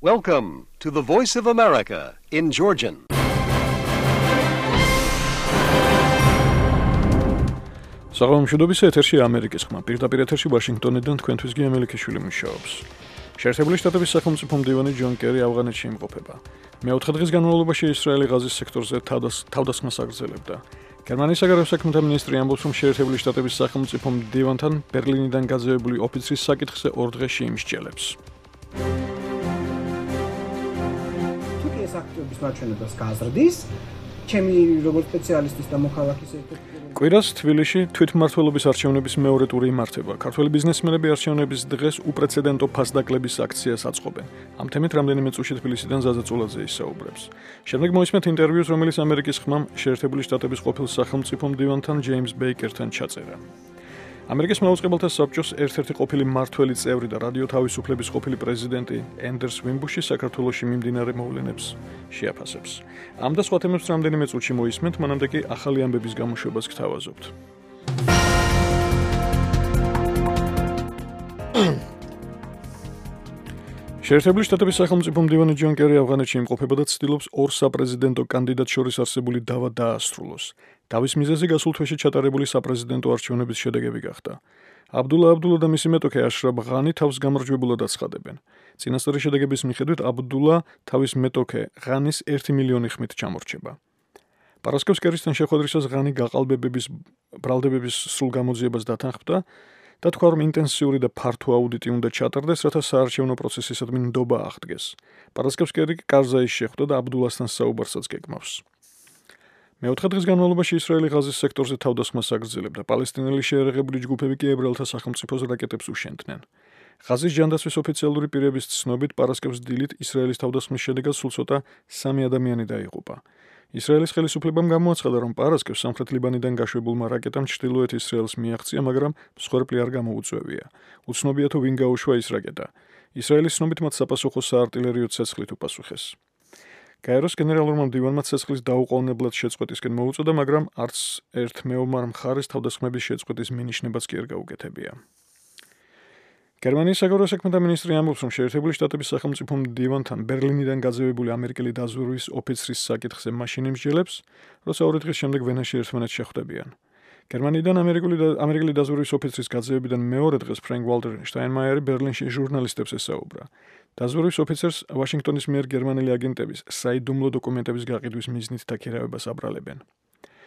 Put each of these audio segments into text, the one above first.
Welcome to the Voice of America in Georgian. საღამომშვიდობის ეთერში ამერიკის ხმა. პირდაპირ ეთერში ვაშინგტონიდან თქვენთვის გიამელიქიშვილი მუშაობს. შეერთებული შტატების სახელმწიფო მდივანი ჯონ კერი ავღანეთში იმყოფება. მეოთხე დღის განმავლობაში ისრაელი ღაზის სექტორზე თავდასხმას აგრძელებდა. გერმანიის საგარეო საქმეთა მინისტრი ამბობს, რომ შეერთებული შტატების სახელმწიფო მდივანთან ბერლინიდან გაძევებული ოფიცრის საკითხზე 2 დღეში იმსჯელებს. თურქეთის აქტიობის მაჩვენებას გაზრდის, ჩემი როგორც სპეციალისტის და მოქალაქის ერთ-ერთი კვირას თბილისში თვითმმართველობის არჩევნების მეორე ტური იმართება. ქართველი ბიზნესმენები არჩევნების დღეს უპრეცედენტო ფასდაკლების აქციას აწყობენ. ამ თემით რამდენიმე წუთში თბილისიდან ზაზა წულაძე ისაუბრებს. შემდეგ მოისმენთ ინტერვიუს, რომელიც ამერიკის ხმამ შეერთებული შტატების ყოფილ სახელმწიფო მდივანთან ჯეიმს ბეიკერთან ჩაწერა. ამერიკის მაუწყებელთა საბჭოს ერთ-ერთი ყოფილი მმართველი წევრი და რადიო თავისუფლების ყოფილი პრეზიდენტი ენდერს ვიმბუში საქართველოში მიმდინარე მოვლენებს შეაფასებს. ამ და სხვა თემებს რამდენიმე წუთში მოისმენთ, მანამდე კი ახალი ამბების გამოშვებას გთავაზობთ. შეერთებული შტატების სახელმწიფო მდივანი ჯონ კერი ავღანეთში იმყოფება და ცდილობს 2 საპრეზიდენტო კანდიდატს შორის არსებული დავა დაასრულოს. დავის მიზეზი გასულ თვეში ჩატარებული საპრეზიდენტო არჩევნების შედეგები გახდა. აბდულა და მისი მეტოქე აშრაფ ღანი თავს გამარჯვებულად აცხადებენ. წინასწარი შედეგების მიხედვით აბდულა თავის მეტოქე ღანის 1 მილიონი ხმით ჩამორჩება. პარასკევს კერისთან შეხვედრისას ღანი გაყალბებების ბრალდებების სრულ გამოძიებას დათანხმდა და თქვა, რომ ინტენსიური და ფართო აუდიტი უნდა ჩატარდეს, რათა საარჩევნო პროცესისადმი ნდობა აღდგეს. პარასკევს კერი კარზაის შეხვდა და აბდულასთან საუბარსაც გეგმავს. მეოთხე დღის განმავლობაში ისრაელი ღაზის სექტორზე თავდასხმას აგრძელებდა. პალესტინელი შეერაღებული ჯგუფები კი ებრაელთა სახელმწიფოს რაკეტებს უშენდნენ. ღაზის ჯანდაცვის ოფიციალური პირების ცნობით, პარასკევს დილით ისრაელის თავდასხმის შედეგად სულ ცოტა 3 ადამიანი დაიღუპა. ისრაელის ხელისუფლებამ გამოაცხადა, რომ პარასკევს სამხრეთ ლიბანიდან გაშვებულმა რაკეტამ ჩრდილოეთ ისრაელს მიაღწია, მაგრამ მსხვერპლი არ გამოუწვევია. უცნობია თუ ვინ გაუშვა ის რაკეტა. ისრაელის ცნობით მათ საპასუხო საარტილერიო ცეცხლით უპასუხეს. გაეროს გენერალურმა მდივანმა ცეცხლის დაუყოვნებლად შეწყვეტისკენ მოუწოდა, მაგრამ არც ერთ მეომარ მხარეს თავდასხმების შეწყვეტის მინიშნებაც კი არ გაუკეთებია. გერმანიის საგარეო საქმეთა მინისტრი ამბობს, რომ შეერთებული შტატების სახელმწიფო მდივანთან ბერლინიდან გაძევებული ამერიკელი დაზვერვის ოფიცრის საკითხზე მაშინ იმსჯელებს, როცა 2 დღის შემდეგ ვენაში ერთმანეთს შეხვდებიან. გერმანიიდან ამერიკელი დაზვერვის ოფიცრის გაძევებიდან მეორე დღეს ფრენკ ვალტერ შტაინმაიერი ბერლინში ჟურნალისტებს ესაუბრა. დაზვერვის ოფიცერს ვაშინგტონის მიერ გერმანელი აგენტების საიდუმლო დოკუმენტების გაყიდვის მიზნით დაქირავებას აბრალებენ.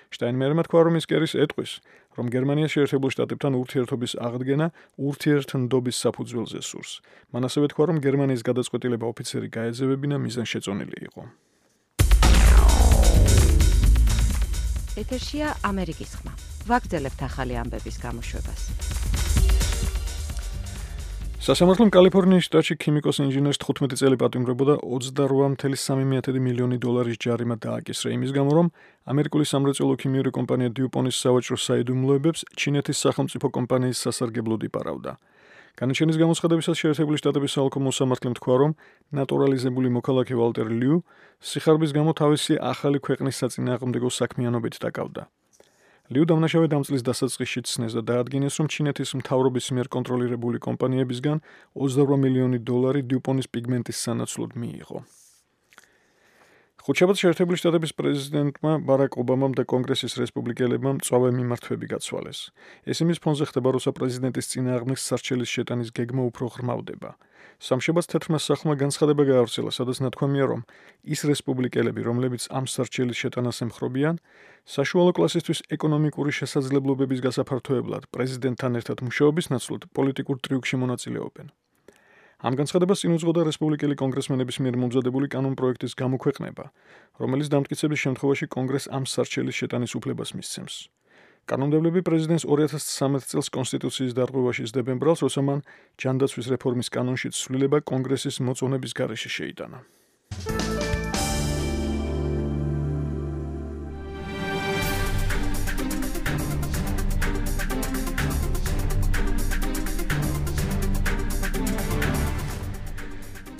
შტაინმაიერმა თქვა, რომ ის კერის ეტყვის, რომ გერმანია შეერთებულ შტატებთან ურთიერთობის აღდგენა ურთიერთნდობის საფუძველზე სურს. მან ასევე თქვა, რომ გერმანიის გადაწყვეტილება ოფიცერი გაეძევებინა მიზანშეწონილი იყო. ეთერშია ამერიკის ხმა. ვაგრძელებთ ახალი ამბების გამოშვებას. სასამართლომ კალიფორნიის შტატში ქიმიკოს ინჟინერს 15 წელი პატიმრებოდა 28,3 მილიონი დოლარის ჯარიმა დააკისრა იმის გამო, რომ ამერიკული სამრეწველო ქიმიური კომპანია დიუპონის სავაჭრო საიდუმლოებებს ჩინეთის სახელმწიფო კომპანიის სასარგებლოდ იპარავდა. განაჩენის გამოცხადებისას შეერთებული შტატების საოლქო მოსამართლემ თქვა, რომ ნატურალიზებული მოქალაქე ვალტერ ლიუ სიხარბის გამო თავისი ახალი ქვეყნის საწინააღმდეგო საქმიანობით დაკავდა. ლიუ დამნაშავე დამწლის დასაწყისში ცნეს და დაადგინეს, რომ ჩინეთის მთავრობის მიერ კონტროლირებული კომპანიებისგან 28 მილიონი დოლარი დიუპონის პიგმენტის სანაცვლოდ მიიღო. ხუთშაბათს შეერთებული შტატების პრეზიდენტმა ბარაკ ობამამ და კონგრესის რესპუბლიკელებმა მწვავე მიმართვები გაცვალეს. ეს იმის ფონზე ხდება, როცა პრეზიდენტის წინააღმდეგ სარჩელის შეტანის გეგმა უფრო ღრმავდება. სამშაბათს თეთრმა სახლმა განცხადება გაავრცელა, სადაც ნათქვამია, რომ ის რესპუბლიკელები, რომლებიც ამ სარჩელის შეტანას ემხრობიან, საშუალო კლასისთვის ეკონომიკური შესაძლებლობების გასაფართოებლად პრეზიდენტთან ერთად მუშაობის ნაცვლად პოლიტიკურ ტრიუკში მონაწილეობენ. ამ განცხადებას წინ უძღოდა რესპუბლიკელი კონგრესმენების მიერ მომზადებული კანონპროექტის გამოქვეყნება, რომელიც დამტკიცების შემთხვევაში კონგრესს ამ სარჩელის შეტანის უფლებას მისცემს. კანონმდებლები პრეზიდენტს 2013 წელს კონსტიტუციის დარღვევაში სდებენ ბრალს, როცა მან ჯანდაცვის რეფორმის კანონში ცვლილება კონგრესის მოწონების გარეშე შეიტანა.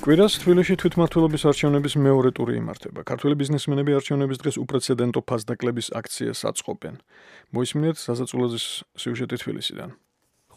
კვირას თბილისში თვითმმართველობის არჩევნების მეორე ტური იმართება. ქართველი ბიზნესმენები არჩევნების დღეს უპრეცედენტო ფასდაკლების აქციას აწყობენ. მოისმინეთ ზაზა წულაძის სიუჟეტი თბილისიდან.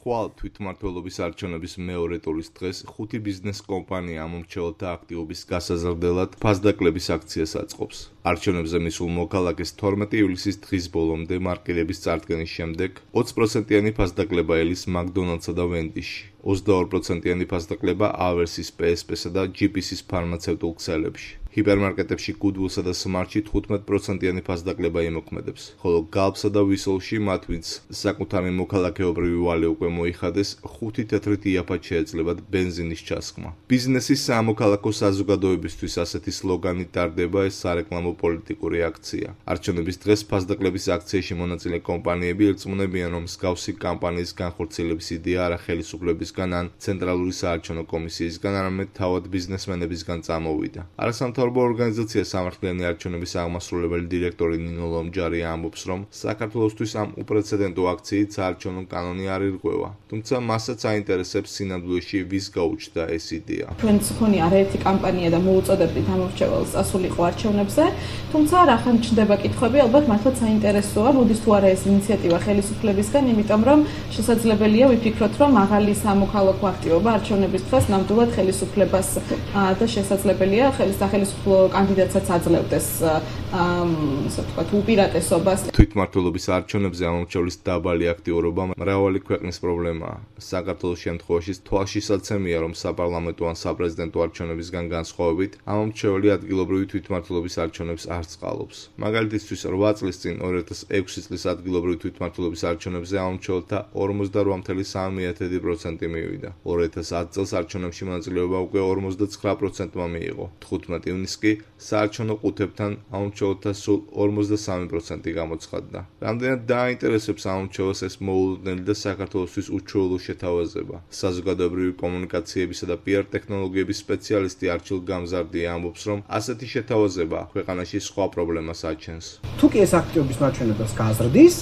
ხვალ თვითმმართველობის არჩევნების მეორე ტურის დღეს 5 ბიზნეს კომპანია ამომრჩეველთა აქტივობის გასაზრდელად ფასდაკლების აქციას აწყობს. არჩევნებზე მისულ მოქალაქეს 12 ივლისის დღის ბოლომდე მარკირების წარდგენის შემდეგ 20%-იანი ფასდაკლება ელის მაკდონალდსა და ვენდიში, 22%-იანი ფასდაკლება ავერსის, PSP-სა და GPC-ის ფარმაცევტულ ქსელებში. ჰიპერმარკეტებში Goodwill-სა და Smart-ში 15%-იანი ფასდაკლება იმოქმედებს, ხოლო Gulf-სა და Whistle-ში მათ, ვინც საკუთარი მოქალაქეობრივი ვალე უკვე მოიხადეს, 5 თეთრით იაფად შეეძლებათ ბენზინის ჩასხმა. ბიზნესის სამოქალაქო საზოგადოებისთვის ასეთი სლოგანით ტარდება ეს სარეკლამო პოლიტიკური აქცია. არჩევნების დღეს ფასდაკლების აქციაში მონაწილე კომპანიები ირწმუნებიან, რომ მსგავსი კამპანიის განხორციელების იდეა არა ხელისუფლებისგან ან ცენტრალური საარჩევნო კომისიისგან, არამედ თავად ბიზნესმენებისგან წამოვიდა. არასამთავრობო ორგანიზაცია სამართლიანი არჩევნების აღმასრულებელი დირექტორი ნინო ლომჯარი ამბობს, რომ საქართველოსთვის ამ უპრეცედენტო აქციით საარჩევნო კანონი არ ირღვევა, თუმცა მასაც აინტერესებს სინამდვილეში ვის გაუჩნდა ეს იდეა. ჩვენც ხონი არაერთი კამპანია და მოუწოდებდით ამომრჩეველს ასულიყო არჩევნებზე, თუმცა რახან ჩნდება კითხვები, ალბათ მართლაც საინტერესოა, როდის თუ არა ეს ინიციატივა ხელისუფლებისგან, იმიტომ რომ შესაძლებელია ვიფიქროთ, რომ მაღალი სამოქალაქო აქტივობა არჩევნების დღეს ნამდვილად ხელისუფლებას და შესაძლებელია სახელმწიფო კანდიდატსაც აძლევდეს ასე ვთქვათ უპირატესობას. თვითმმართველობის არჩევნებზე ამომრჩევლის დაბალი აქტიურობა მრავალი ქვეყნის პრობლემაა. საქართველოს შემთხვევაში თვალშისაცემია, რომ საპარლამენტო ან საპრეზიდენტო არჩევნებისგან განსხვავებით, ამომრჩეველი ადგილობრივი თვითმმართველობის არჩევნებს არ წყალობს. მაგალითისთვის 8 წლის წინ 2006 წლის ადგილობრივი თვითმმართველობის არჩევნებზე ამომრჩეველთა 48.3% მივიდა. 2010 წელს არჩევნებში მონაწილეობა უკვე 59%-მა მიიღო. 15 ივნისს კი საარჩევნო ყუთებთან ამომრჩეველთა სულ 53% გამოცხადდა. რამდენად დააინტერესებს ამომრჩეველს ეს მოულოდნელი და საქართველოსთვის უჩვეულო შეთავაზება. საზოგადოებრივი კომუნიკაციებისა და PR ტექნოლოგიების სპეციალისტი არჩილ გამზარდია ამბობს, რომ ასეთი შეთავაზება ქვეყანაში სხვა პრობლემას აჩენს. თუ კი ეს აქტივობის მაჩვენებას გაზრდის,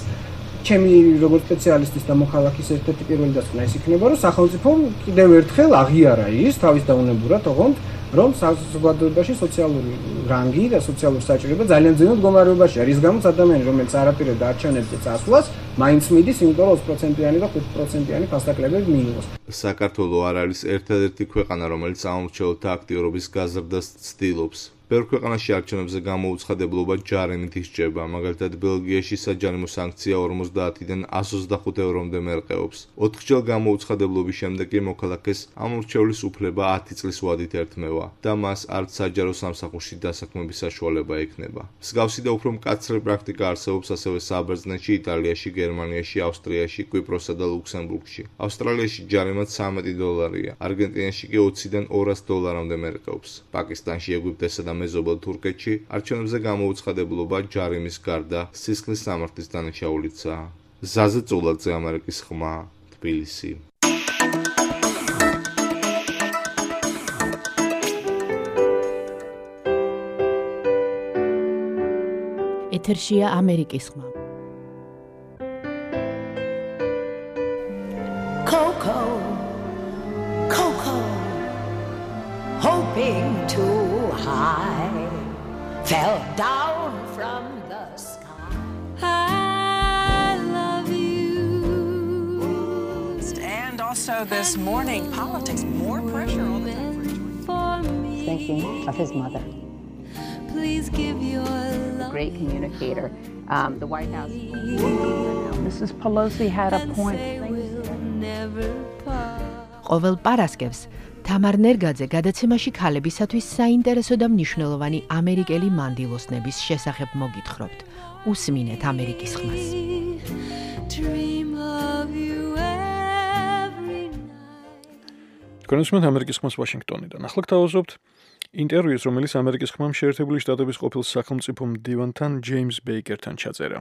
ჩემი როგორც სპეციალისტის და მოქალაქის ერთ-ერთი პირველი დასკვნა ის იქნება, რომ სახელმწიფომ კიდევ ერთხელ აღიარა ის თავის დაუნებურად, ოღონდ რომ საზოგადოებაში სოციალური რანგი და სოციალური საჭიროება ძალიან ძნელ მდგომარეობაშია, რის გამოც ადამიანი, რომელიც არაპირებდა არჩევნებზე წასვლას, მაინც მიდის, იმიტომ რომ 20%-იანი და 5%-იანი ფასდაკლებები მიიღოს. საქართველო არ არის ერთადერთი ქვეყანა, რომელიც ამომრჩეველთა აქტიურობის გაზრდას ცდილობს. ბევრ ქვეყანაში არჩევნებზე გამოუცხადებლობა ჯარიმით ისჯება, მაგალითად ბელგიაში საჯარიმო სანქცია 50-დან 125 ევრომდე მერყეობს. 4 გამოუცხადებლობის შემდეგ კი მოქალაქეს ამომრჩევლის უფლება 10 წლის ვადით ერთმევა და მას არც საჯარო სამსახურში დასაქმების საშუალება ექნება. მსგავსი და უფრო მკაცრი პრაქტიკა არსებობს ასევე საბერძნეთში, იტალიაში, გერმანიაში, ავსტრიაში, კვიპროსსა და ლუქსემბურგში. ავსტრალიაში ჯარიმა $13, არგენტინაში კი $20-დან $200-მდე მერყეობს. პაკისტანში, ეგვიპტესა და მეზობელ თურქეთში არჩევნებზე გამოუცხადებლობა ჯარიმის გარდა სისხლის სამართლის დანაშაულიცაა. ზაზე წულაძე, ამერიკის ხმა, თბილისი. ეთერშია ამერიკის ხმა. Coco, Coco, hoping too high, fell down from the sky. I love you. And also this morning, politics, more pressure all the time for George. Thinking of his mother. Please give your love. Great communicator. The White House. Mrs. Pelosi had a point. ყოველ პარასკევს თამარ ნერგაძე გადაცემაში ქალებისათვის საინტერესო და მნიშვნელოვანი ამერიკელი მანდილოსნების შესახებ მოგითხრობთ. უსმინეთ ამერიკის ხმას. თქვენ უსმენთ ამერიკის ხმას ვაშინგტონიდან. ახლა გთავაზობთ ინტერვიუს, რომელიც ამერიკის ხმამ შეერთებული შტატების ყოფილ სახელმწიფო მდივანთან ჯეიმს ბეიკერთან ჩაწერა.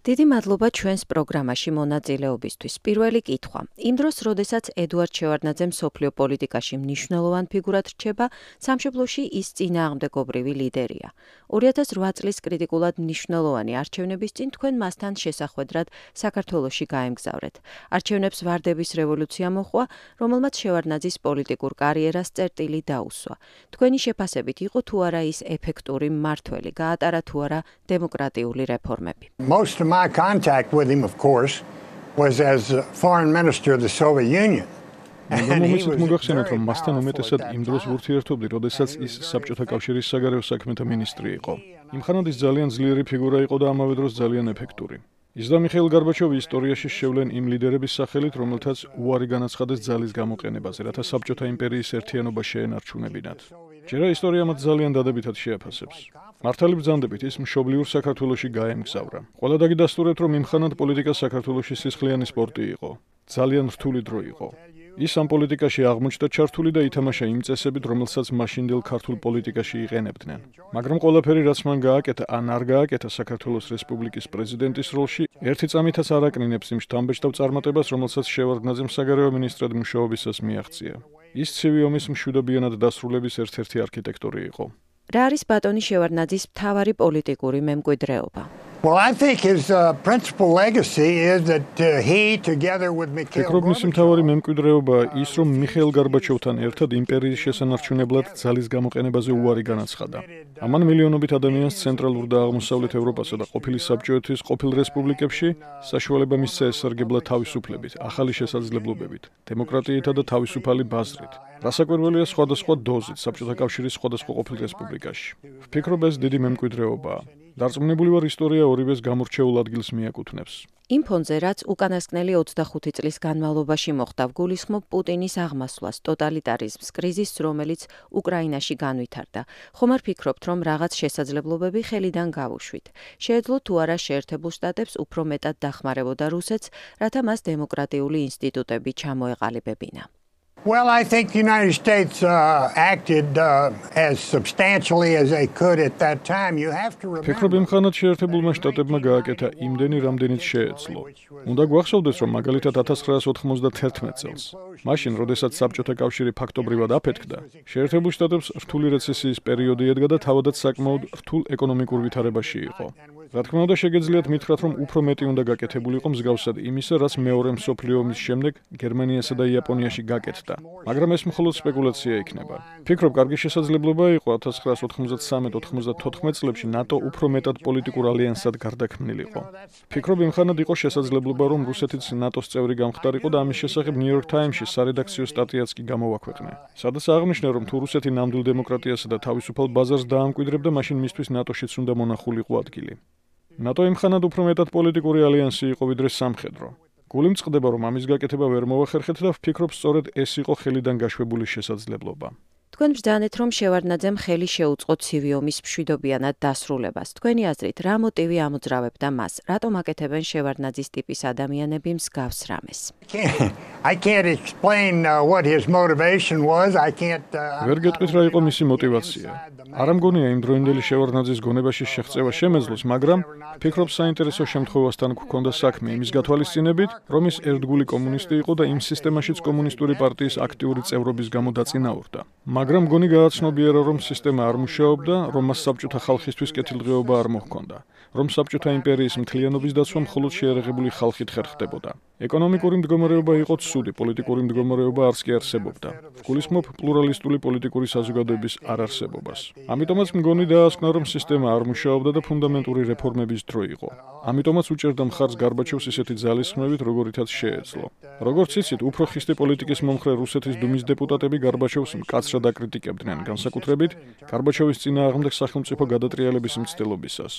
დიდი მადლობა ჩვენს პროგრამაში მონაწილეობისთვის. პირველი კითხვა. იმ დროს, როდესაც ედუარდ შევარდნაძე მსოფლიო პოლიტიკაში მნიშვნელოვან ფიგურად რჩება, სამშობლოში ის წინააღმდეგობრივი ლიდერია. 2008 წლის კრიტიკულად მნიშვნელოვანი არჩევნების წინ თქვენ მასთან შესახვედრად საქართველოში გაემგზავრეთ. არჩევნებს ვარდების რევოლუცია მოჰყვა, რომელმაც შევარდნაძის პოლიტიკურ კარიერას წერტილი დაუსვა. თქვენი შეფასებით იყო თუ არა ის ეფექტური მმართველი, გაატარა თუ არა დემოკრატიული რეფორმები? Most of my contact with him, of course, was as foreign minister of the Soviet Union. მომიცით მოგახსენოთ, რომ მასთან უმეტესად იმ დროს ვურთიერთობდი, როდესაც ის საბჭოთა კავშირის საგარეო საქმეთა მინისტრი იყო. იმხანად ის ძალიან ძლიერი ფიგურა იყო და ამავე დროს ძალიან ეფექტური. ის და მიხეილ გარბაჩოვი ისტორიაში შევლენ იმ ლიდერების სახელით, რომელთაც უარი განაცხადეს ძალის გამოყენებაზე, რათა საბჭოთა იმპერიის ერთიანობა შეენარჩუნებინათ. ჯერა ისტორია მათ ძალიან დადებითად შეაფასებს. მართალი ბრძანდებით ის მშობლიურ საქართველოში გაემგზავრა. ყველა დაგიდასტურეთ, რომ იმხანად პოლიტიკა საქართველოში სისხლიანი სპორტი იყო. ძალიან რთული დრო იყო. ის ამ პოლიტიკაში აღმოჩნდა ჩართული და ითამაშა იმ წესებით, რომელსაც მაშინდელ ქართულ პოლიტიკაში იყენებდნენ. მაგრამ ყველაფერი, რაც მან გააკეთა ან არ გააკეთა საქართველოს რესპუბლიკის პრეზიდენტის როლში, ერთი წამითაც არ აკნინებს იმ შთამბეჭდავ წარმატებას, რომელსაც შევარდნაძემ საგარეო მინისტრად მუშაობისას მიაღწია. ის ცივი ომის მშვიდობიანად დასრულების ერთ-ერთი არქიტექტორი იყო. რა არის ბატონი შევარდნაძის მთავარი პოლიტიკური მემკვიდრეობა? Well, I think his principal legacy is that he, together with Mikhail ფიქრობ, მისი მთავარი მემკვიდრეობა ის, რომ მიხეილ გარბაჩოვთან ერთად იმპერიის შესანარჩუნებლად ძალის გამოყენებაზე უარი განაცხადა. ამან მილიონობით ადამიანს ცენტრალურ და აღმოსავლეთ ევროპასა და ყოფილი საბჭოეთის ყოფილ რესპუბლიკებში საშუალება მისცა ესარგებლად თავისუფლებით, ახალი შესაძლებლობებით, დემოკრატიითა და თავისუფალი ბაზრით. რასაკვირველია სხვადასხვა დოზით საბჭოთა კავშირის სხვადასხვა ყოფილ რესპუბლიკაში. ვფიქრობ, ეს დიდი მემკვიდრეობაა. დარწმუნებული ვარ, ისტორია ორივეს გამორჩეულ ადგილს მიაკუთვნებს. იმ ფონზე, რაც უკანასკნელი 25 წლის განმავლობაში მოხდა, გულისხმობ პუტინის აღმასვლას, ტოტალიტარიზმს, კრიზისს, რომელიც უკრაინაში განვითარდა. ხომ არ ფიქრობთ, რომ რაღაც შესაძლებლობები ხელიდან გავუშვით? შეეძლო თუ არა შეერთებულ შტატებს უფრო მეტად დახმარებოდა რუსეთს, რათა მას დემოკრატიული ინსტიტუტები ჩამოეყალიბებინა? Well, I think the United States acted as substantially as they could at that time. You have to remember. ფიქრობ, იმხანად შეერთებულმა შტატებმა გააკეთა იმდენი, რამდენიც შეეძლო. უნდა გვახსოვდეს, რომ მაგალითად 1991 წელს, მაშინ, როდესაც საბჭოთა კავშირი ფაქტობრივად აფეთქდა, შეერთებულ შტატებს რთული რეცესიის პერიოდი ედგა და თავადაც საკმაოდ რთულ ეკონომიკურ ვითარებაში იყო. რა თქმა უნდა, შეგეძლიათ მითხრათ, რომ უფრო მეტი უნდა გაკეთებულიყო მსგავსად იმისა, რაც მეორე მსოფლიო ომის შემდეგ გერმანიასა და იაპონიაში გაკეთდა. მაგრამ ეს მხოლოდ სპეკულაცია იქნება. ფიქრობ, კარგი შესაძლებლობა იყო 1993-94 წლებში ნატო უფრო მეტად პოლიტიკურ ალიანსად გარდაქმნილიყო. ფიქრობ, იმხანად იყო შესაძლებლობა, რომ რუსეთიც ნატოს წევრი გამხდარიყო და ამის შესახებ New York Times-ში სარედაქციო სტატიაც კი გამოვაქვეყნა. სადაც აღნიშნა, რომ თუ რუსეთი ნამდვილ დემოკრატიასა და თავისუფალ ბაზარს დაამკვიდრებდა, მაშინ მისთვის ნატოშიც უნდა მონახულიყო ადგილი. ნატო იმხანად უფრო მეტად პოლიტიკური ალიანსი იყო ვიდრე სამხედრო. გული მწყდება, რომ ამის გაკეთება ვერ მოვახერხეთ და ვფიქრობ, სწორედ ეს იყო ხელიდან გაშვებული შესაძლებლობა. თქვენ ბრძანეთ, რომ შევარდნაძემ ხელი შეუწყო ცივი ომის მშვიდობიანად დასრულებას. თქვენი აზრით, რა მოტივი ამოძრავებდა მას? რატომ აკეთებენ შევარდნაძის ტიპის ადამიანები მსგავს რამეს? I can't explain what his motivation was. I can't ვერ გეტყვით რა იყო მისი мотивация. არ ამგონია იმ დროინდელი შევარდნაძის გონებაში შეღწევა შემეძლოს, მაგრამ ფიქრობ, საინტერესო შემთხვევასთან გვქონდა საქმე იმის გათვალისწინებით, რომ ის ერთგული კომუნისტი იყო და იმ სისტემაშიც კომუნისტური პარტიის აქტიური წევრობის გამო დაწინაურდა. მაგრამ გონი გააცნობიერა, რომ სისტემა არ მუშაობდა, რომ მას საბჭოთა ხალხისთვის კეთილდღეობა არ მოჰქონდა, რომ საბჭოთა იმპერიის მთლიანობის დაცვა მხოლოდ შეერაღებული ხალხით ხერხდებოდა. ეკონომიკური მდგომარეობა იყო ცუდი, პოლიტიკური მდგომარეობა არც კი არსებობდა. ვგულისხმობ პლურალისტული პოლიტიკური საზოგადოების არარსებობას. ამიტომაც მგონი დაასკვნა, რომ სისტემა არ მუშაობდა და ფუნდამენტური რეფორმების დრო იყო. ამიტომაც უჭერდა მხარს გარბაჩოვს ისეთი ძალისხმევით, როგორითაც შეეძლო. როგორც იცით, უფრო ხისტი პოლიტიკის მომხრე რუსეთის დუმის დეპუტატები გარბაჩოვს მკაცრად აკრიტიკებდნენ, განსაკუთრებით გარბაჩოვის წინააღმდეგ სახელმწიფო გადატრიალების მცდელობისას.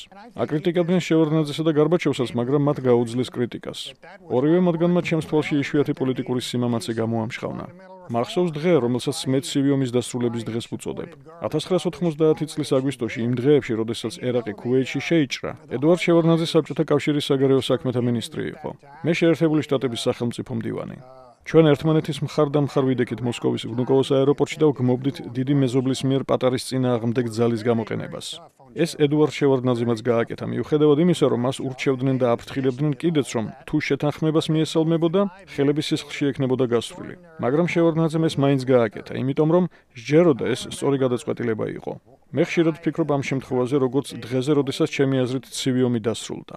აკრიტიკებდნენ შევარდნაძესა და გარბაჩოვსაც, მაგრამ მათ გაუძლეს კრიტიკას. ორივე მათგანმა ჩემს თვალში იშვიათი პოლიტიკური სიმამაცე გამოამშხავნა. მახსოვს დღე, რომელსაც მე ცივი ომის დასრულების დღეს ვუწოდებ. 1990 წლის აგვისტოში, იმ დღეებში, როდესაც ერაყი ქუვეითში შეიჭრა, ედუარდ შევარდნაძე საბჭოთა კავშირის საგარეო საქმეთა მინისტრი იყო. მე შეერთებული შტატების სახელმწიფო მდივანი. ჩვენ ერთმანეთის მხარ-დამხარ ვიდექით მოსკოვის ვნუკოვოს აეროპორტში და ვგმობდით დიდი მეზობლის მიერ პატარის წინააღმდეგ ძალის გამოყენებას. ეს ედუარდ შევარდნაძემაც გააკეთა, მიუხედავად იმისა, რომ მას ურჩევდნენ და აფრთხილებდნენ კიდეც, რომ თუ შეთანხმებას მიესალმებოდა, ხელები სისხლში ექნებოდა გასვლილი. მაგრამ შევარდნაძემ ეს მაინც გააკეთა, იმიტომ რომ სჯეროდა ეს სწორი გადაწყვეტილება იყო. მე ხშირად ვფიქრობ ამ შემთხვევაზე, როგორც დღეზე, როდესაც ჩემი აზრით ცივი ომი დასრულდა.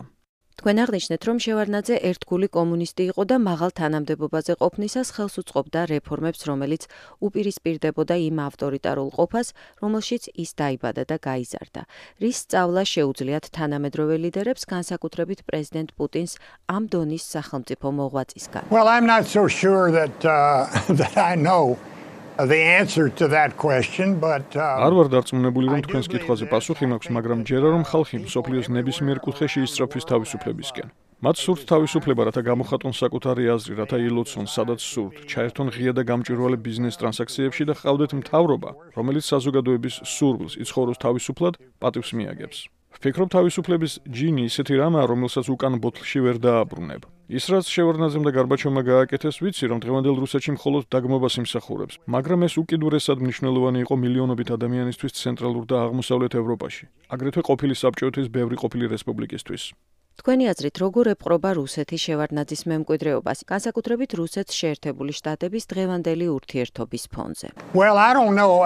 თქვენ აღნიშნეთ, რომ შევარდნაძე ერთგული კომუნისტი იყო და მაღალ თანამდებობაზე ყოფნისას ხელს უწყობდა რეფორმებს, რომელიც უპირისპირდებოდა იმ ავტორიტარულ ყოფას, რომელშიც ის დაიბადა და გაიზარდა. რის სწავლა შეუძლიათ თანამედროვე ლიდერებს, განსაკუთრებით პრეზიდენტ პუტინს ამ დონის სახელმწიფო მოღვაწისგან. Well, I'm not so sure that I know the answer to that question, but არ ვარ დარწმუნებული, რომ თქვენს კითხვაზე პასუხი მაქვს, მაგრამ ჯერა რომ ხალხი მსოფლიოს ნებისმიერ კუთხეში ისწრაფვის თავისუფლებისკენ. მათ სურთ თავისუფლება, რათა გამოხატონ საკუთარი აზრი, რათა ილოცონ, სადაც სურთ, ჩაერთონ ღია და გამჭვირვალე ბიზნეს ტრანზაქციებში და ჰყავდეთ მთავრობა, რომელიც საზოგადოების სურვილს იცხოვროს თავისუფლად, პატივს მიაგებს. ვფიქრობ, თავისუფლების ჯინი ისეთი რამაა, რომელსაც უკან ბოთლში ვერ დააბრუნებ. ის რაც შევარდნაძემ და გარბაჩოვმა გააკეთეს, ვიცი, რომ დღევანდელ რუსეთში მხოლოდ დაგმობას იმსახურებს, მაგრამ ეს უკიდურესად მნიშვნელოვანი იყო მილიონობით ადამიანისთვის ცენტრალურ და აღმოსავლეთ ევროპაში, აგრეთვე ყოფილი საბჭოეთის ბევრი ყოფილი რესპუბლიკისთვის. თქვენი აზრით, როგორ ეპყრობა რუსეთი შევარდნაძის მემკვიდრეობას, განსაკუთრებით რუსეთს შეერთებული შტატების დღევანდელი ურთიერთობის ფონზე? Well, I don't know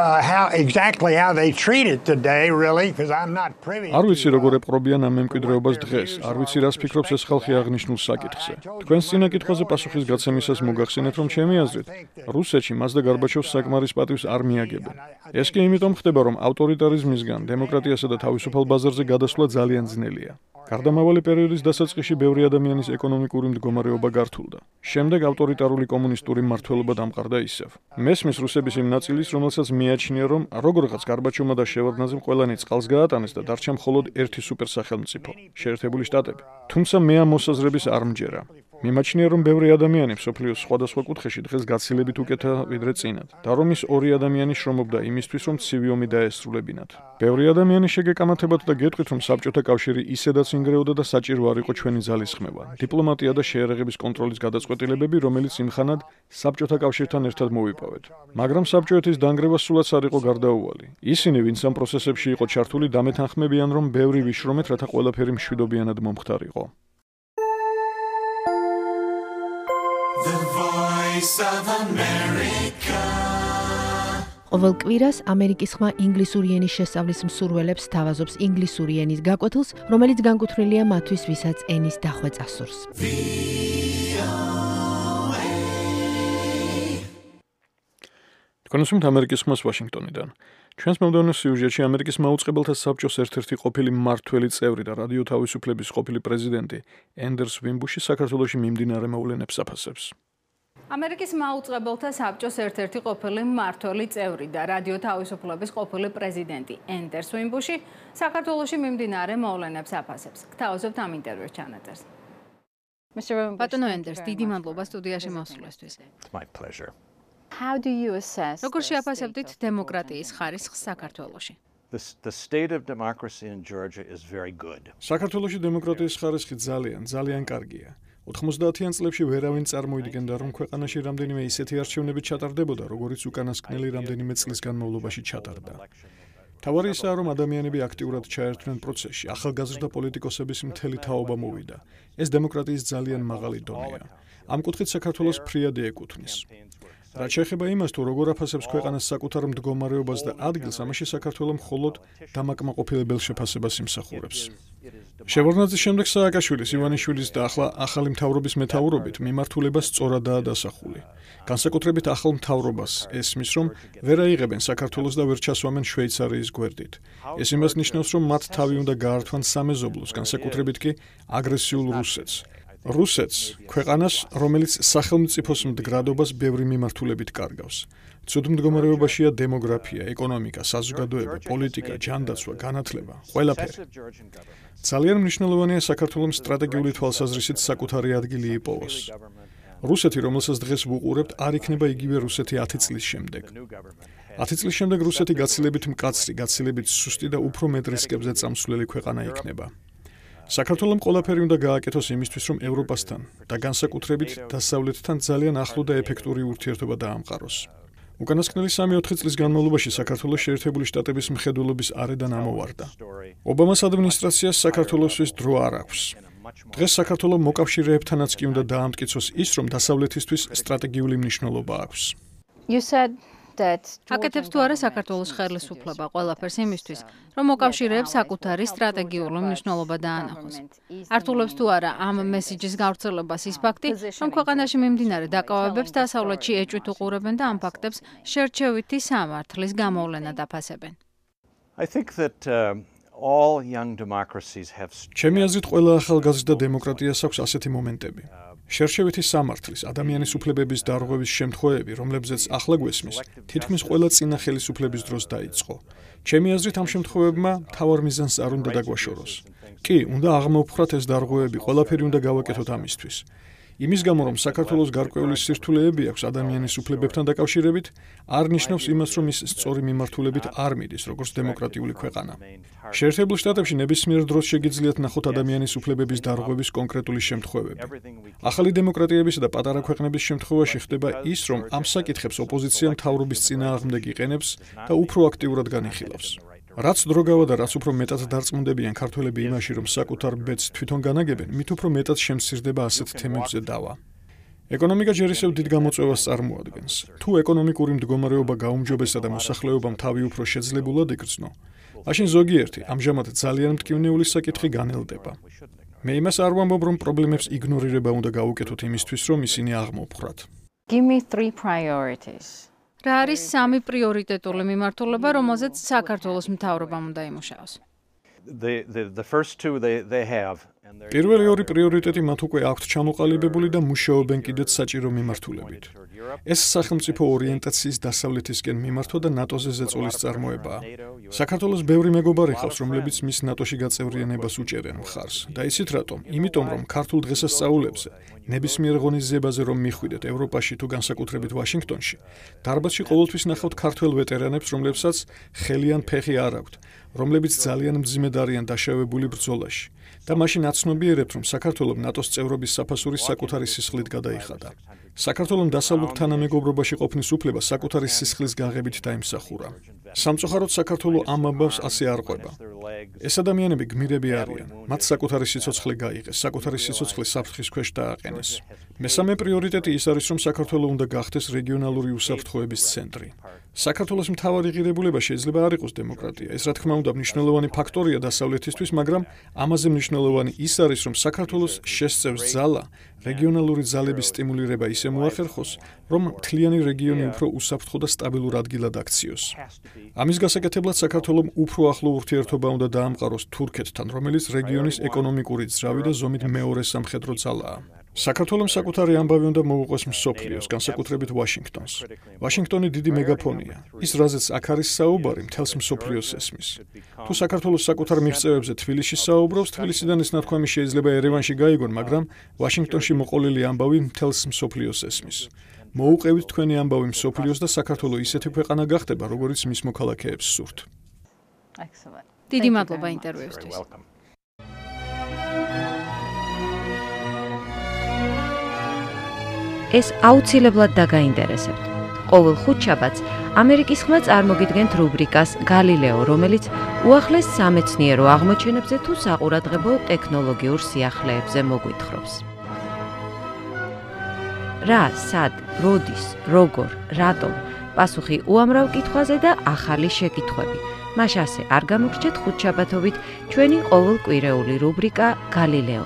exactly how they treat it today, really, because I'm not privy. არ ვიცი როგორ ეპყრობიან ამ მემკვიდრეობას დღეს, არ ვიცი რას ფიქრობს ეს ხალხი აღნიშნულ საკითხზე. თქვენს წინა კითხვაზე პასუხის გაცემისას მოგახსენეთ, რომ ჩემი აზრით, რუსეთში მას და გარბაჩოვს საკმარის პატივს არ მიაგებენ. ეს კი იმიტომ ხდება, რომ ავტორიტარიზმისგან დემოკრატიასა და თავისუფალ ბაზარზე გადასვლა ძალიან ძნელია. გარდამავალი პერიოდის დასაწყისში ბევრი ადამიანის ეკონომიკური მდგომარეობა გართულდა. შემდეგ ავტორიტარული კომუნისტური მმართველობა დამყარდა ისევ. მესმის რუსების იმ ნაწილის, რომელსაც მიაჩნია, რომ როგორღაც გარბაჩოვმა და შევარდნაძემ ყველანი წყალს გაატანეს და დარჩა მხოლოდ ერთი სუპერსახელმწიფო, შეერთებული შტატები. თუმცა მე ამ მოსაზრების არ მჯერა. მიმაჩნია, რომ ბევრი ადამიანი მსოფლიოს სხვადასხვა კუთხეში დღეს გაცილებით უკეთა ვიდრე წინათ და რომ ის ორი ადამიანი შრომობდა იმისთვის, რომ ცივი ომი დაესრულებინათ. ბევრი ადამიანი შეგეკამათებათ და გეტყვით, რომ საბჭოთა კავშირი ისედაც ინგრეოდა და საჭირო არ იყო ჩვენი ძალისხმევა. დიპლომატია და შეერაღების კონტროლის გადაწყვეტილებები, რომელიც იმხანად საბჭოთა კავშირთან ერთად მოვიპოვეთ. მაგრამ საბჭოეთის დანგრევა სულაც არ იყო გარდაუვალი. ისინი, ვინც ამ პროცესებში იყო ჩართული, დამეთანხმებიან, რომ ბევრი ვიშრომეთ, რათა ყველაფერი მშვიდობიანად მომხდარიყო. The Voice of America. ყოველ კვირას ამერიკის ხმა ინგლისური ენის შესწავლის მსურველებს თავაზობს ინგლისური ენის გაკვეთილს, რომელიც განკუთვნილია მათთვის, ვისაც ენის დახვეწა სურს. თქვენ უსმენთ ამერიკის ხმას ვაშინგტონიდან. ჩვენს მომდევნო სიუჟეტში ამერიკის მაუწყებელთა საბჭოს ერთ-ერთი ყოფილი მმართველი წევრი და რადიო თავისუფლების ყოფილი პრეზიდენტი ენდერს ვიმბუში საქართველოში მიმდინარე მოვლენებს აფასებს. ამერიკის მაუწყებელთა საბჭოს ერთ-ერთი ყოფილი მმართველი წევრი და რადიო თავისუფლების ყოფილი პრეზიდენტი ენდერს ვიმბუში საქართველოში მიმდინარე მოვლენებს აფასებს. გთავაზობთ ამ ინტერვიუს ჩანაწერს. ბატონო ენდერს, დიდი მადლობა სტუდიაში მოსვლისთვის. It's my pleasure. How do you assess? როგორ შეაფასებდით დემოკრატიის ხარისხს საქართველოში? The state of democracy in Georgia is very good. საქართველოში დემოკრატიის ხარისხი ძალიან კარგია. 90-იან წლებში ვერავინ წარმოიდგენდა, რომ ქვეყანაში რამდენიმე ისეთი არჩევნები ჩატარდებოდა, როგორიც უკანასკნელი რამდენიმე წლის განმავლობაში ჩატარდა. თავარი ისაა, რომ ადამიანები აქტიურად ჩაერთვნენ პროცესში, ახალგაზრდა პოლიტიკოსების მთელი თაობა მოვიდა. ეს დემოკრატიის ძალიან მაღალი დონეა. ამ კუთხით საქართველოს ფრიადი ეკუთვნის. რაც შეეხება იმას, თუ როგორ აფასებს ქვეყანას საკუთარ მდგომარეობას და ადგილს, ამაში საქართველო მხოლოდ დამაკმაყოფილებელ შეფასებას იმსახურებს. შევარდნაძის შემდეგ სააკაშვილის, ივანიშვილის და ახლა ახალი მთავრობის მეთაურობით მიმართულება სწორადაა დასახული. განსაკუთრებით ახალ მთავრობას ესმის, რომ ვერ აიღებენ საქართველოს და ვერ ჩასვამენ შვეიცარიის გვერდით. ეს იმას ნიშნავს, რომ მათ თავი უნდა გაართვან სამეზობლოს, განსაკუთრებით კი აგრესიულ რუსეთს. რუსეთს, ქვეყანას, რომელიც სახელმწიფოს მდგრადობას ბევრი მიმართულებით კარგავს. ცუდ მდგომარეობაშია დემოგრაფია, ეკონომიკა, საზოგადოება, პოლიტიკა, ჯანდაცვა, განათლება, ყველაფერი. ძალიან მნიშვნელოვანია საქართველოს სტრატეგიული თვალსაზრისით საკუთარი ადგილი იპოვოს. რუსეთი, რომელსაც დღეს ვუყურებთ, არ იქნება იგივე რუსეთი 10 წლის შემდეგ. 10 წლის შემდეგ რუსეთი გაცილებით მკაცრი, გაცილებით სუსტი და უფრო მეტ რისკებზე წამსვლელი ქვეყანა იქნება. საქართველომ ყველაფერი უნდა გააკეთოს იმისთვის, რომ ევროპასთან და განსაკუთრებით დასავლეთთან ძალიან ახლო და ეფექტური ურთიერთობა დაამყაროს. უკანასკნელი 3-4 წლის განმავლობაში საქართველოს შეერთებული შტატების მხედველობის არედან ამოვარდა. ობამას ადმინისტრაციას საქართველოსთვის დრო არ აქვს. დღეს საქართველოს მოკავშირეებთანაც კი უნდა დაამტკიცოს ის, რომ დასავლეთისთვის სტრატეგიული მნიშვნელობა აქვს. You said აკეთებს თუ არა საქართველოს ხელისუფლება ყველაფერს იმისთვის, რომ მოკავშირეებს საკუთარი სტრატეგიული მნიშვნელობა დაანახოს. ართულებს თუ არა ამ მესიჯის გავრცელებას ის ფაქტი, რომ ქვეყანაში მიმდინარე დაკავებებს დასავლეთში ეჭვით უყურებენ და ამ ფაქტებს შერჩევითი სამართლის გამოვლენა დაფასებენ. I think that all young democracies have ჩემი აზრით ყველა ახალგაზრდა დემოკრატიას აქვს ასეთი მომენტები. შერჩევითი სამართლის, ადამიანის უფლებების დარღვევის შემთხვევები, რომლებზეც ახლა გვესმის, თითქმის ყველა წინა ხელისუფლების დროს დაიწყო. ჩემი აზრით ამ შემთხვევებმა მთავარ მიზანს არ უნდა დაგვაშოროს. კი, უნდა აღმოვფხრათ ეს დარღვევები, ყველაფერი უნდა გავაკეთოთ ამისთვის. იმის გამო, რომ საქართველოს გარკვეული სირთულეები აქვს ადამიანის უფლებებთან დაკავშირებით, არ ნიშნავს იმას, რომ ის სწორი მიმართულებით არ მიდის, როგორც დემოკრატიული ქვეყანა. შეერთებულ შტატებში ნებისმიერ დროს შეგიძლიათ ნახოთ ადამიანის უფლებების დარღვევის კონკრეტული შემთხვევები. ახალი დემოკრატიებისა და პატარა ქვეყნების შემთხვევაში ხდება ის, რომ ამ საკითხებს ოპოზიცია მთავრობის წინააღმდეგ იყენებს და უფრო აქტიურად განიხილავს. რაც დრო გავა და რაც უფრო მეტად დარწმუნდებიან ქართველები იმაში, რომ საკუთარ ბედს თვითონ განაგებენ, მით უფრო მეტად შემცირდება ასეთ თემებზე დავა. ეკონომიკა ჯერ ისევ დიდ გამოწვევას წარმოადგენს. თუ ეკონომიკური მდგომარეობა გაუმჯობესდა და მოსახლეობამ თავი უფრო შეძლებულად იგრძნო, მაშინ ზოგიერთი, ამჟამად ძალიან მტკივნეული საკითხი განელდება. მე იმას არ ვამბობ, რომ პრობლემებს იგნორირება უნდა გავუკეთოთ იმისთვის, რომ ისინი აღმოვფხრათ. Give me 3 priorities. რა არის 3 პრიორიტეტული მიმართულება, რომელზეც საქართველოს მთავრობამ უნდა იმუშაოს? The first two they have. პირველი ორი პრიორიტეტი მათ უკვე აქვთ ჩამოყალიბებული და მუშაობენ კიდეც საჭირო მიმართულებით. ეს სახელმწიფო ორიენტაციის დასავლეთისკენ მიმართვა და ნატოზე ზეწოლის წარმოებაა. საქართველოს ბევრი მეგობარი ხავს, რომლებიც მის ნატოში გაწევრიანებას უჭერენ მხარს. და იცით რატომ? იმიტომ, რომ ქართულ დღესასწაულებზე, ნებისმიერ ღონისძიებაზე რომ მიხვიდეთ ევროპაში თუ განსაკუთრებით ვაშინგტონში, დარბაზში ყოველთვის ნახავთ ქართველ ვეტერანებს, რომლებსაც ხელი ან ფეხი არ აქვთ, რომლებიც ძალიან მძიმედ არიან დაშავებული ბრძოლაში. და მაშინ აცნობიერებთ, რომ საქართველოს ნატოს წევრობის საფასური საკუთარი სისხლით გადაიხადა. საქართველოს დასავლურ თანამეგობრობაში ყოფნის უფლება საკუთარი სისხლის გაღებით დაიმსახურა. სამწუხაროდ საქართველოს ამ ამბავს ასე არ ყვება. ეს ადამიანები გმირები არიან. მათ საკუთარი სიცოცხლე გაიღეს, საკუთარი სიცოცხლე საფრთხის ქვეშ დააყენეს. მესამე პრიორიტეტი ის არის, რომ საქართველოს უნდა გახდეს რეგიონალური უსაფრთხოების ცენტრი. საქართველოს მთავარი ღირებულება შეიძლება არ იყოს დემოკრატია. ეს რა თქმა უნდა მნიშვნელოვანი ფაქტორია დასავლეთისთვის, მაგრამ ამაზე მნიშვნელოვანი ის არის, რომ საქართველოს შესწევს ძალა რეგიონალური ძალების სტიმულირება ისე მოახერხოს, რომ მთლიანი რეგიონი უფრო უსაფრთხო და სტაბილურ ადგილად აქციოს. ამის გასაკეთებლად საქართველოს უფრო ახლო ურთიერთობა უნდა დაამყაროს თურქეთთან, რომელიც რეგიონის ეკონომიკური ძრავი და ზომით მეორე სამხედრო ძალაა. საქართველოს საკუთარი ამბავი უნდა მოუყვეს მსოფლიოს, განსაკუთრებით ვაშინგტონს. ვაშინგტონი დიდი მეგაფონია. ის რაზეც აქ არის საუბარი, მთელს მსოფლიოს ესმის. თუ საქართველოს საკუთარ მიღწევებზე თბილისში საუბრობს, თბილისიდან ეს ნათქვამი შეიძლება ერევანში გაიგონ, მაგრამ ვაშინგტონში მოყოლილი ამბავი მთელს მსოფლიოს ესმის. მოუყევით თქვენი ამბავი მსოფლიოს და საქართველოს ისეთი ქვეყანა გახდება, როგორც მის მოქალაქეებს სურთ. დიდი მადლობა ინტერვიუსთვის. ეს აუცილებლად დაგაინტერესებთ. ყოველ ხუთშაბათს ამერიკის ხმა წარმოგიდგენთ რუბრიკას გალილეო, რომელიც უახლეს სამეცნიერო აღმოჩენებზე თუ საყურადღებო ტექნოლოგიურ სიახლეებზე მოგვითხრობს. რა, სად, როდის, როგორ, რატომ? პასუხი უამრავ კითხვაზე და ახალი შეკითხვები. მას ასე არ გამოგრჩეთ ხუთშაბათობით ჩვენი ყოველკვირეული რუბრიკა გალილეო.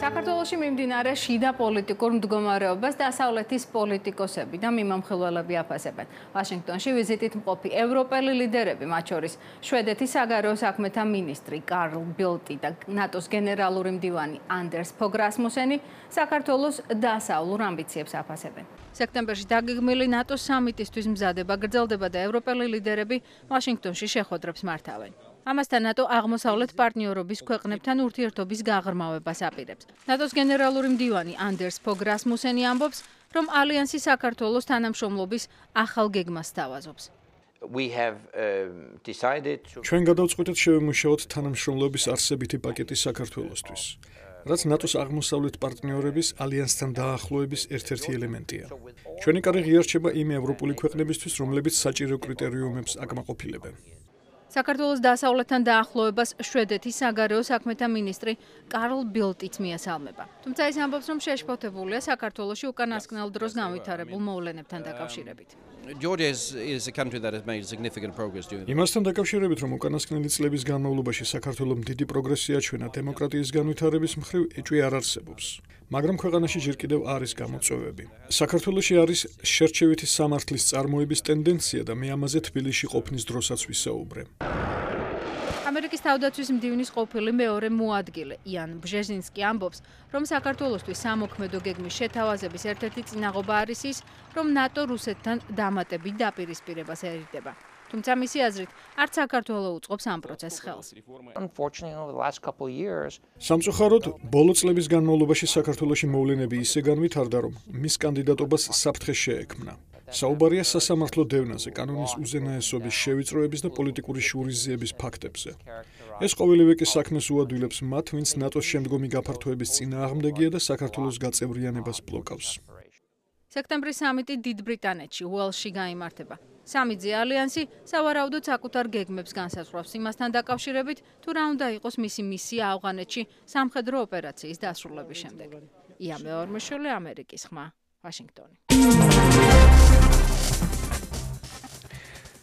საქართველოში მიმდინარე შიდა პოლიტიკურ მდგომარეობას დასავლეთის პოლიტიკოსები და მიმამხილველები აფასებენ. ვაშინგტონში ვიზიტით მყოფი ევროპელი ლიდერები, მათ შორის შვედეთის საგარეო საქმეთა მინისტრი კარლ ბილტი და ნატოს გენერალური მდივანი ანდერს ფოგ რასმუსენი საქართველოს დასავლურ ამბიციებს აფასებენ. სექტემბერში დაგეგმილი ნატოს სამიტისთვის მზადება გრძელდება და ევროპელი ლიდერები ვაშინგტონში შეხვედრებს მართავენ. ამასთან ნატო აღმოსავლეთ პარტნიორობის ქვეყნებთან ურთიერთობის გაღრმავებას აპირებს. ნატოს გენერალური მდივანი ანდერს ფოგ რასმუსენი ამბობს, რომ ალიანსი საქართველოს თანამშრომლობის ახალ გეგმას სთავაზობს. ჩვენ გადავწყვიტეთ შევემუშაოთ თანამშრომლობის არსებითი პაკეტი საქართველოსთვის, რაც ნატოს აღმოსავლეთ პარტნიორების ალიანსთან დაახლოების ერთ-ერთი ელემენტია. ჩვენი კარი ღიარჩება იმ ევროპული ქვეყნებისთვის, რომლებიც საჭირო კრიტერიუმებს აკმაყოფილებენ. საქართველოს დასავლეთთან დაახლოებას შვედეთის საგარეო საქმეთა მინისტრი კარლ ბილტიც მიასალმება. თუმცა ის ამბობს, რომ შეშფოთებულია საქართველოში უკანასკნელ დროს განვითარებულ მოვლენებთან დაკავშირებით. Georgia is a country that has made significant progress during იმასთან დაკავშირებით, რომ უკანასკნელი წლების განმავლობაში საქართველოს დიდი პროგრესი აჩვენა დემოკრატიის განვითარების მხრივ, ეჭვი არ არსებობს. მაგრამ ქვეყანაში ჯერ კიდევ არის გამოწვევები. საქართველოში არის შერჩევითი სამართლის წარმოების ტენდენცია და მე ამაზე თბილისში ყოფნის დროსაც ვისაუბრე. ამერიკის თავდაცვის მდივნის ყოფილი მეორე მოადგილე იან ბჟეზინსკი ამბობს, რომ საქართველოსთვის სამოქმედო გეგმის შეთავაზების ერთ-ერთი წინაღობა არის ის, რომ ნატო რუსეთთან დამატებით დაპირისპირებას ერიდება. თუმცა მისი აზრით, არც საქართველოს უწყობს ამ პროცესს ხელს. სამწუხაროდ, ბოლო წლების განმავლობაში საქართველოში მოვლენები ისე განვითარდა, რომ მის კანდიდატობას საფრთხე შეექმნა. საუბარია სასამართლო დევნაზე, კანონის უზენაესობის შევიწროების და პოლიტიკური შურისძიების ფაქტებზე. ეს ყოველივე კი საქმეს უადვილებს მათ, ვინც ნატოს შემდგომი გაფართოების წინააღმდეგია და საქართველოს გაწევრიანებას ბლოკავს. სექტემბრის სამიტი დიდ ბრიტანეთში, უელსში გაიმართება. სამი-ძე ალიანსი სავარაუდოდ საკუთარ გეგმებს განსაზღვრავს იმასთან დაკავშირებით, თუ რა უნდა იყოს მისი მისია ავღანეთში სამხედრო ოპერაციის დასრულების შემდეგ. ია მეორმეშვილი, ამერიკის ხმა, ვაშინგტონი.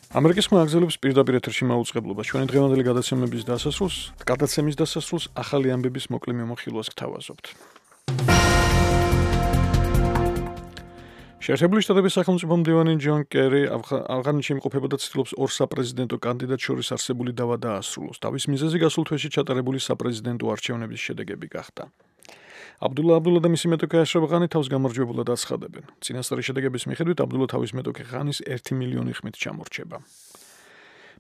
ამერიკის ხმა აგზელებს პირდაპირ ეთერში მაუწყებლობას. ჩვენი დღევანდელი გადაცემის დასასრულს ახალი ამბების მოკლე მიმოხილვას გთავაზობთ. შეერთებული შტატების სახელმწიფო მდივანი ჯონ კერი ავღანეთში იმყოფება და ცდილობს ორ საპრეზიდენტო კანდიდატს შორის არსებული დავა დაასრულოს. თავის მიზეზი გასულ თვეში ჩატარებული საპრეზიდენტო არჩევნების შედეგები გახდა. აბდულა და მისი მეტოქე აშრაფ ღანი თავს გამარჯვებულად აცხადებენ. წინასწარი შედეგების მიხედვით აბდულა თავის მეტოქე ღანის 1 მილიონი ხმით ჩამორჩება.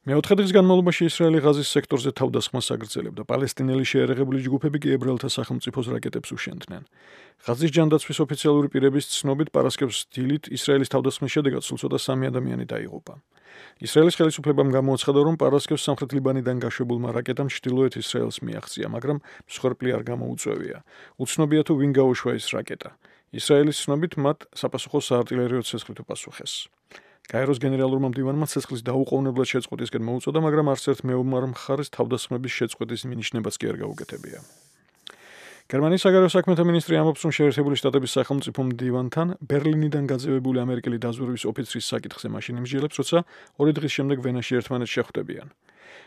მეოთხე დღის განმავლობაში ისრაელი ღაზის სექტორზე თავდასხმას აგრძელებდა. პალესტინელი შეერაღებული ჯგუფები კი ებრაელთა სახელმწიფოს რაკეტებს უშენდნენ. ღაზის ჯანდაცვის ოფიციალური პირების ცნობით პარასკევს დილით ისრაელის თავდასხმის შედეგად სულ ცოტა 3 ადამიანი დაიღუპა. ისრაელის ხელისუფლებამ გამოაცხადა, რომ პარასკევს სამხრეთ ლიბანიდან გაშვებულმა რაკეტამ ჩრდილოეთ ისრაელს მიაღწია, მაგრამ მსხვერპლი არ გამოუწვევია. უცნობია თუ ვინ გაუშვა ეს რაკეტა. ისრაელის ცნობით მათ საპასუხო საარტილერიო ცეცხლით უპასუხეს. გაეროს გენერალურმა მდივანმა ცეცხლის დაუყოვნებლად შეწყვეტისკენ მოუწოდა, მაგრამ არც ერთ მეომარ მხარეს თავდასხმების შეწყვეტის მინიშნებაც კი არ გაუკეთებია. გერმანიის საგარეო საქმეთა მინისტრი ამბობს, რომ შეერთებული შტატების სახელმწიფო მდივანთან ბერლინიდან გაძევებული ამერიკელი დაზვერვის ოფიცრის საკითხზე მაშინ იმსჯელებს, როცა 2 დღის შემდეგ ვენაში ერთმანეთს შეხვდებიან.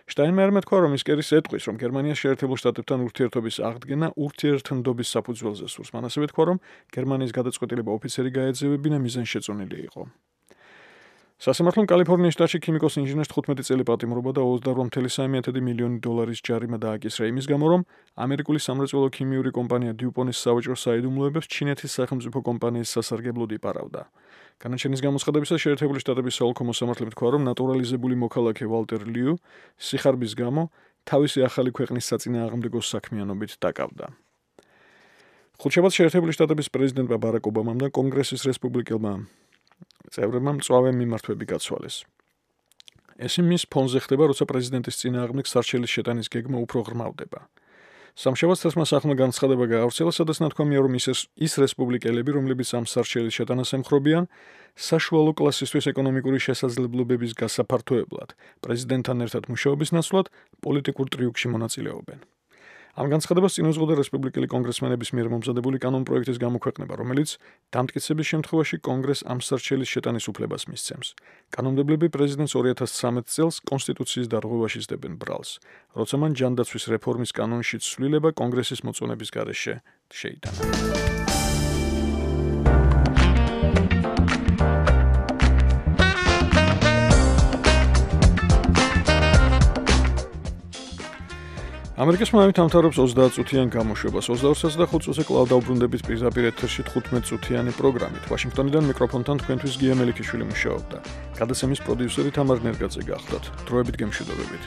შტაინმაიერმა თქვა, რომ ის კერის ეტყვის, რომ გერმანია შეერთებულ შტატებთან ურთიერთობის აღდგენა ურთიერთნდობის საფუძველზე სურს. მან ასევე თქვა, რომ გერმანიის გადაწყვეტილება ოფიცერი გაეძევებინა მიზანშეწონილი იყო. სასამართლომ კალიფორნიის შტატში ქიმიკოს ინჟინერს 15 წელი პატიმრობა და 28,3 მილიონი დოლარის ჯარიმა დააკისრა იმის გამო, რომ ამერიკული სამრეწველო ქიმიური კომპანია დიუპონის სავაჭრო საიდუმლოებებს ჩინეთის სახელმწიფო კომპანიის სასარგებლოდ იპარავდა. განაჩენის გამოცხადებისას შეერთებული შტატების საოლქო მოსამართლე თქვა, რომ ნატურალიზებული მოქალაქე ვალტერ liu სიხარბის გამო თავისი ახალი ქვეყნის საწინააღმდეგო საქმიანობით დაკავდა. ხუთშაბათს შეერთებული შტატების პრეზიდენტმა ბარაკ ობამამ და კონგრესის რესპუბლიკელმა წევრებმა მწვავე მიმართვები გაცვალეს. ეს იმის ფონზე ხდება, როცა პრეზიდენტის წინააღმდეგ სარჩელის შეტანის გეგმა უფრო ღრმავდება. სამშაბათს თასმა სახმა განცხადება გაავრცელა, სადაც ნათქვამია, რომ ის რესპუბლიკელები, რომლებიც ამ სარჩელის შეტანას ემხრობიან, საშუალო კლასისთვის ეკონომიკური შესაძლებლობების გასაფართოებლად, პრეზიდენტთან ერთად მუშაობის ნაცვლად პოლიტიკურ ტრიუკში მონაწილეობენ. ამ განცხადებას წინ უძღოდა რესპუბლიკელი კონგრესმენების მიერ მომზადებული კანონპროექტის გამოქვეყნება, რომელიც დამტკიცების შემთხვევაში კონგრესს ამ სარჩელის შეტანის უფლებას მისცემს. კანონმდებლები პრეზიდენტს 2013 წელს კონსტიტუციის დარღვევაში სდებენ ბრალს, როცა მან ჯანდაცვის რეფორმის კანონში ცვლილება კონგრესის მოწონების გარეშე შეიტანა. ამერიკის ხმამით ამთავრებს 30 წუთიან გამოშვებას. 22:05 წუთზე კვლავ დაუბრუნდებით პირდაპირ ეთერში 15 წუთიანი პროგრამით. ვაშინგტონიდან მიკროფონთან თქვენთვის გია მელიქიშვილი მუშაობდა. გადაცემის პროდიუსერი თამარ ნერგაძე გახლდათ. დროებით გემშვიდობებით.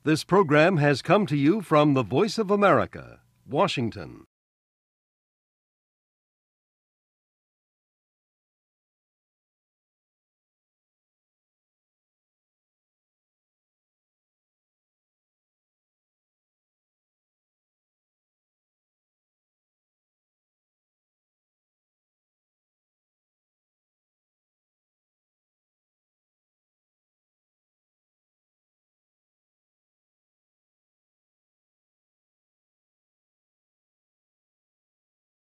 This program has come to you from the Voice of America, Washington.